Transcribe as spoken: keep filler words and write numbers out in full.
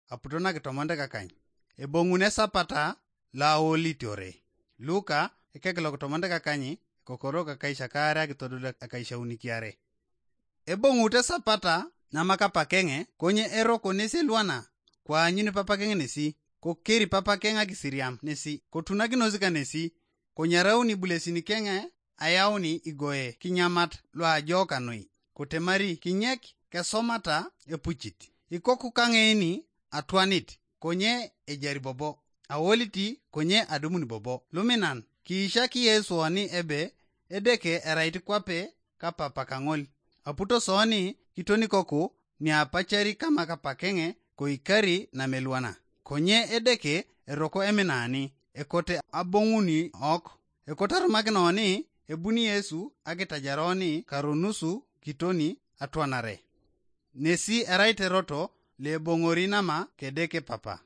aputo nakitomonit kakany. Ebong'un esapata lo aolitiore. Luka ekek lokitomonit kakany, kokoro kakaisha kaare akitodol akaishauni kiare. Ebong'ut esapata namakapakeng'e, konye eroko nesi elwana, koanyuni papakeng'e nesi, kokeri papakeng'e akisiriam nesi, kotunakinos kanesi, konyarauni bulesin keng'e, ayauni igoe kinyamat loajokanoi, kotemari kinyek kesomata epuchit. Ikoku kang'eini atwanit, konye ejari bobo, aoliti konye adumuni bobo. Luminan, kiishaki Yesu oni ebe, Edeke erait kwape kapapa kaŋol. Aputo soni kitonikoku niapachari kama kapakeng'e koikari namelwana. Konye Edeke eroko eminani, ekote abong'uni ok. Ekote arumakinoni ebuni Yesu akitajaroni karonusu kitoni atwanare. Nesi erait eroto leboŋori nama kedeke papa.